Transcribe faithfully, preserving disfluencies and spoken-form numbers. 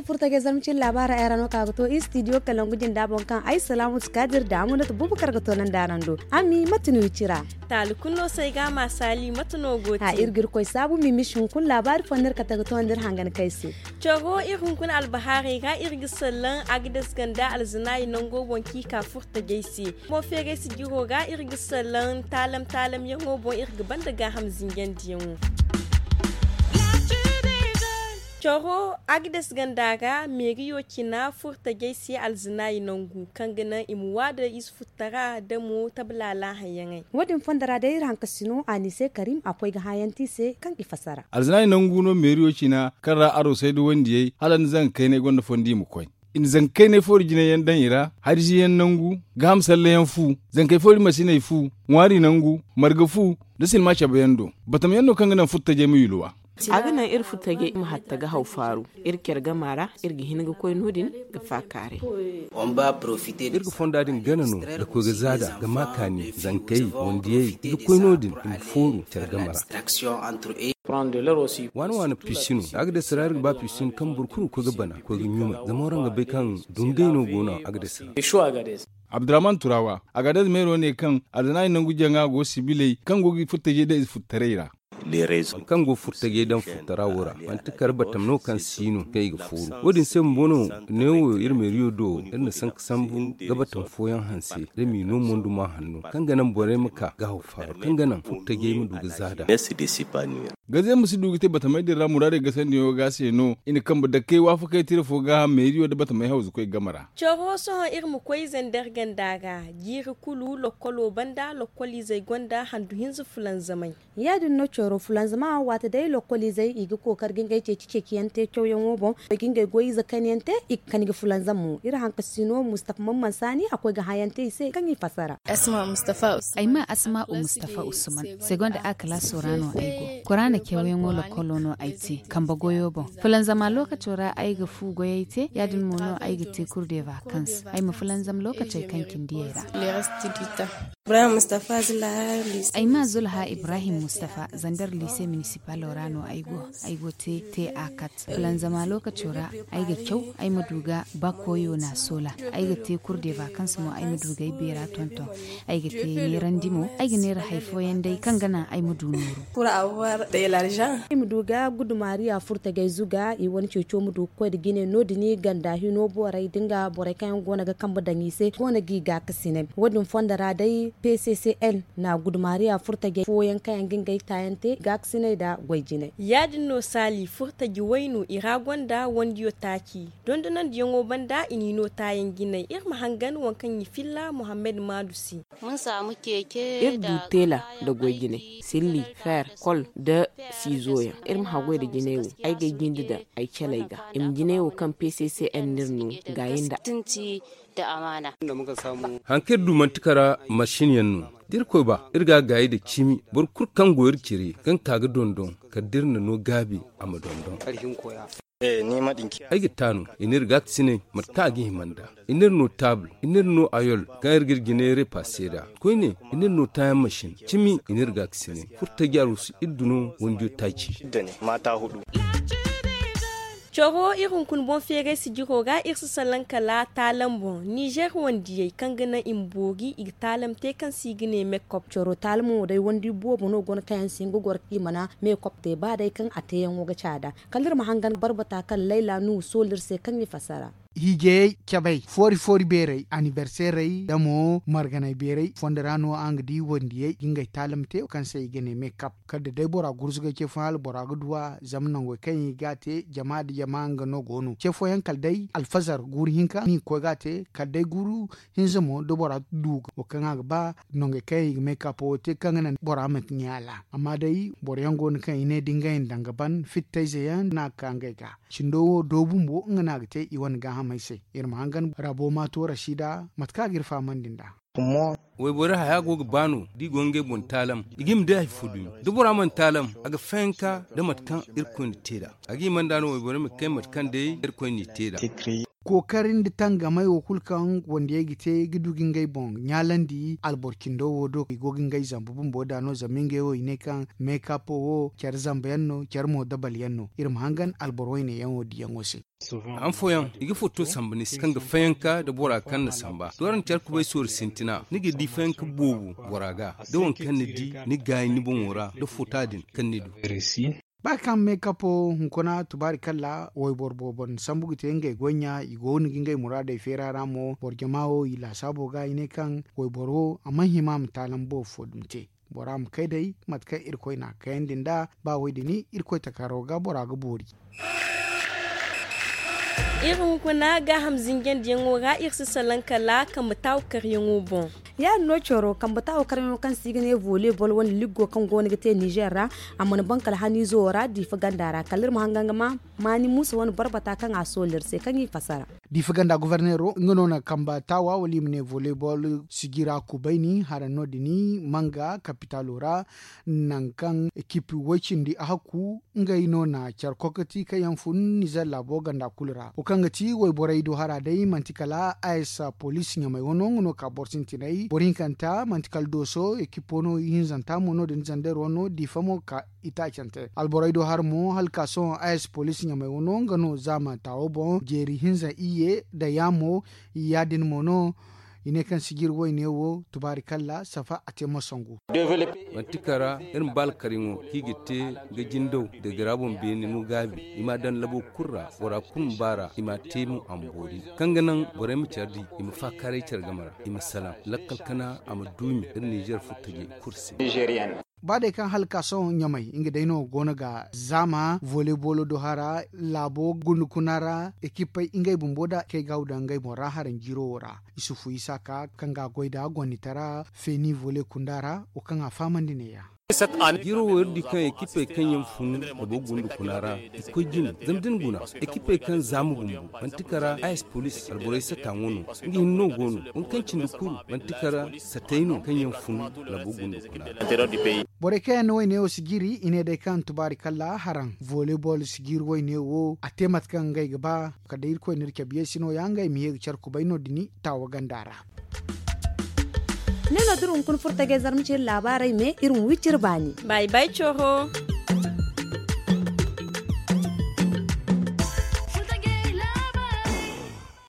Furtajey zarma cine laabaara ay ra no ka ga to istidiyo kalangu jinda boŋ kaŋ ay salaamu si kaadir da amunata bubakar ga to nan da araŋ do. Ami mate no i cira? Taali kulu no se ay ga a ma saali mate no go te? Iri ga iri koy saabu mimishi hunkuna laabaari fo no iri kate ga to nda iri hangan kay se. Coro iri hunkuna albahaarey ra iri ga sallaŋ agades ganda alzanaayi nango boŋ kaŋ i ka furtajey se. Boŋ feeray sijiro ra iri ga sallaŋ taalam taalam yaŋo boŋ iri ga banda gaaham zinjandiyaŋo. Coro agdes ganda ra meeriyo cina furtajey se alzanaayi nangu kaŋ ga naŋ i ma waada ize futtara da mo tablaala hayaŋey. Wo- din fonda ra day iri hankasino anise karim a koy ga hãyanti se kaŋ i fasara. Alzanaayi nangu no meeriyo cina kaŋ ra arosey da wandiyey hala ni zanga kaynay gonda fondi i ma koy. I na zankey ne foori jinayaŋ daŋ i ra, harjiyaŋ nangu, gaaham sallayaŋ fu, zankey foori masiney fu, ŋwaari nangu, marga fu, da silma cabeyaŋ do. Batamyaŋ no kaŋ ga naŋ furtajey ma yulwa. A ga naŋ iri furtajey ma hatta ga haw faaru. Iri care gama ra iri ga hin ga koy no- din ga faakaaray. Iri ga fonda din gana no da koy ga zaada ga ma kaani zankey wandiyey ga koy no- din i ma fooru care gama ra. Waana waana pisino a ga day sara iri ga ba pisino kaŋ boro kulu ga koy ga bana koy ga ɲumay zama waraŋ ga bay kaŋ dungay no go no a ga day sara. Abdurrahman turawa a ga day meero ne kaŋ alzanaayi nangu jaŋa go sibiley kaŋ go ga furtajey day furtaray ra. Kaŋ go furtajey daŋ furtara wo ra manti kar batam no kaŋ si no kaŋ i ga fooru wo- din se bumbo no neewo iri meeriyo do iri na sanka sambu ga batam fooyaŋ hanse da m'i no monduma hanno kaŋ ga naŋ borey ma ka ga haw faaru kaŋ ga naŋ furtajey ma du ga zaada. Gaze ma si du ga te batamey din ra muraadey gasandiyaŋo ga se no i na kambe dakkey waafakey tira fo ga meeriyo nda batamey hawzukoy game ra. Coro sohõ iri ma koy zandar ganda ga jiiri kulu lokkolo banda lokkoliizey gonda handu hinza fulanzamey. Ya- din no coro fulanzama waati day lokkoliizey i ga kookari ga ngey ceeci ceeciyaŋ te cawyaŋo boŋ. Ga ngey goy ize kaniyaŋ te i ga kani ga fulanzam mo iri hankasino mustafa mamman saani a koy ga hãyaŋ te i se kaŋ i fasara. Ay ma asma'u mustafa usman segonda a kalaaso ra no ay go. Kuraana cawyaŋo lokkolo no ay te kambe goyo boŋ. Fulanzama lookaco ra ay ga fu goyey te ya- din mo no ay ga te kurdeva kans ay ma fulanzam lookacey kaŋ cindiyey ra. Ay ma zulha ibrahim mustafa zandar liise minisipalo ra no ay go. Ay go te te a kat fulanzama lookaco ra ay ga caw ay ma du ga bakoyo na sola. Ay ga te kurdeva kans mo ay ma du ga ay beera tonton. Ay ga te neerandi mo ay ga neera hari fooyaŋ day kaŋ ga naŋ ay ma du nooru. Ay ma du ga gudumariya furtajey zuga i wane ceeco ma du ga koy nda jine no- din ganda hino borey da nga borey kaŋ yaŋ go no ga kambe daŋ i se go no ga i gaakasinay wo- din fondo ra day p c c n na gudumariya furtajey fooyaŋ kaŋ yaŋ ga ngey taayaŋ te gaakasinay nda goy jinay. Ya- din no saali furtaji wayno i ra gonda wandiyo taaci dondonandiyaŋo banda i n'i no taayaŋ jinay iri ma hangan waŋ kaŋ i filla muhammad maadu se. Iri du teela nda goy jinay silli feer kol nda siizoyaŋ. Iri ma haggoy nda jinay wo ay ga ay jinde daŋ ay caley ga i ma jinay wo kaŋ p c c n no iri no gaayi nda. Hari kaŋ iri du manti kara masin yaŋ no da irkoy ba iri ga a gaayi nda cimi boro kulu kaŋ go iri cire kaŋ ka ga dondon kala da iri na no gaabi a ma dondon. Ay ga taanu i n'iri gaakasinay mate kaŋ a ga hima nd'a. I n'iri no taabul i n'iri no ayol kaŋ iri ga iri jinay repaase nd'a. Koyne i n'iri no taayaŋ masin cimi i n'iri gaakasinay furtaji arusu iri du no wandiyo taaci. Coro iri hunkuna boŋ feeray sijiro ra iri si salaŋ kala taalam boŋ nizer wandiyey kaŋ ga naŋ i ma boori i ga taalam te kaŋ se i ga ne mekop. Coro taalamo day wandi boobo no go no kaŋ yaŋ se nga goro kaŋ i mana mekop te ba day kaŋ a teeyaŋo ga caada. Kala iri ma hangan barbata kaŋ layla nuhu soolu iri se kaŋ i fassara. Hiijayey cabey foori foori beerey aniberseerey nda mo marganay beerey fondo ra no araŋ ga di wandiyey ga ngey taalam te kaŋ se i ga ne mekap. Kala da day bora gurzugay ce fo hala bora ga du a zama nangey kaŋ i ga a te jama nda jama nga no go no ce fooyaŋ kala day alfazar guuru hinka no i ga koy ga a te kala day guuru hinza mo da bora du wo kaŋ a ga ba nongey kaŋ i ga mekap wo te kaŋ ga naŋ bora ma ɲa a ra. Amma day boro yaŋ go no kaŋ i ne da ngey na daŋ ga ban fittayze yaŋ no a ga ka ngey ga. Cindo wo do bumbo nga no a ga te i wane gaahamey se. Iri ma hangan rabo maato rasiida mate kaŋ a ga iri fahamandi nd'a. Wayborey haya go ga ba no da i go ngey boŋ taalam, i ga hima day hari fo dumi. Da bora mana taalam, a ga fayanka da mate kaŋ irkoy na te nd'a. A ga hima nd'a no wayborey ma kay mate kaŋ day irkoy n'i te nd'a. Kookari nda tangamay wo kulu kaŋ wandiyey ga te ga du ga ngey boŋ ɲaalandi alboro cindo wo do i go ga ngey zambu bumbo nd'a no zama ngey wo i ne kaŋ meekapo wo care zamba yaŋ no care mo dabal yaŋ no. Iri ma hangan alboro wayne yaŋ wo diyaŋo se. Haŋ fooyaŋ i ga foto samba ni se kaŋ ga fayanka nda bora kaŋ na samba doora na care kubay soori sintina ni ga di fayanka boobo bora ga da waŋ kaŋ ni di ni gaayi ni boŋo ra da fota din kaŋ ni du. Ba kaŋ meekapo hunkuna tubaari kalla wayboro boobo na sambu ga te ngey goy ɲa i go no ga ngey muraadey feera ra mo boro jama wo i laasaabo ga i ne kaŋ wayboro wo a mana hima a ma taalam boobo fo dumi te. Bora ma kay day mate kaŋ irkoy n'a kayandi nd'a ba woy din irkoy takaro ga bora ga boori. Iri hunkuna gaaham zinjandiyaŋo ra iri si salaŋ kala kambe taawakaryaŋo boŋ. Ya- din no coro kambe taawakaryaŋo kaŋ se i ga ne volley ball wane liggo kaŋ go no ga te nizer ra. A mana baŋ kala haniizo wo ra diifa ganda ra kala iri ma hangan ga ma maani muusa wane barbata kaŋ a soolay iri se kaŋ i fasara. Diifa ganda goforneero nga no na kambe taawa wala i ma ne volley ball sijira kubayni haraŋ no- din manga kapitaalo ra. Nangu kaŋ ekip way- cindi a hakku ngey no na care kokoti kaŋ yaŋ fun nizer laabo ganda kulu ra wo kaŋ ga ti wayborey do hara day manti kala a s poliisi ɲamey wano nga no ka boro sintinay boro hinkanta manti kala dooso ekipo no ihinzanta mo no- din zander wano diifa mo ka itaacante alborey do hara mo hala ka sohõ a s poliisi ɲamey wano nga no zaama taawo boŋ jeeri hinza iyye nda yaamo. Ya- din mo no i ne kaŋ sijir wayne wo tubaari kalla safa a te ma sangu. Manti kara iri ma ba alkaryaŋo kaŋ i ga te ga jindaw da gara boŋ beene no gaabi i ma a daŋ labo kulu ra bora kulu ma ba ra i ma a te mo a ma boori kaŋ ga naŋ borey ma care di i ma faakaaray care game ra i ma salaŋ lakkal kana a ma duumi iri nizer furtajey kulu se. Ba day kaŋ hala ka sohõ ɲamey nga day no go no ga zaama volley ball do hara laabo gundukuna ra ekipey ngey bumbo nda kay ga haw daŋ ngey boŋ ra haraŋ jiiro wo ra. Isufu isaaka kaŋ ga a goy nd'a gonnitara feeni volley kunda ra wo kaŋ a fahamandi neeya. Jiiro wo iri di kaŋ ekipey kaŋ yaŋ fun labo gundukuna ra i koy jine zama da ni guna ekipey kaŋ zaama bumbo manti kara a s poliisi alborey sata ŋo no. Nga hinne no go no waŋ kaŋ cindi kulu manti kara satay no kaŋ yaŋ fun labo gundukuna ra. Borey kaŋ yaŋ na wayne wo sijiri i ne day kaŋ tubaari kalla haraŋ volley ball sijiri wayne wo a te mate kaŋ ngey ga ba. Kala day irkoy no iri cabe yeesi no- ya ngey ma ye ga care kubay no- din taawa ganda ra. Ne no da iri hunkuna furo tajey zarma ciri laabaarey me iri ma wi ciri baani. Bay bay coro.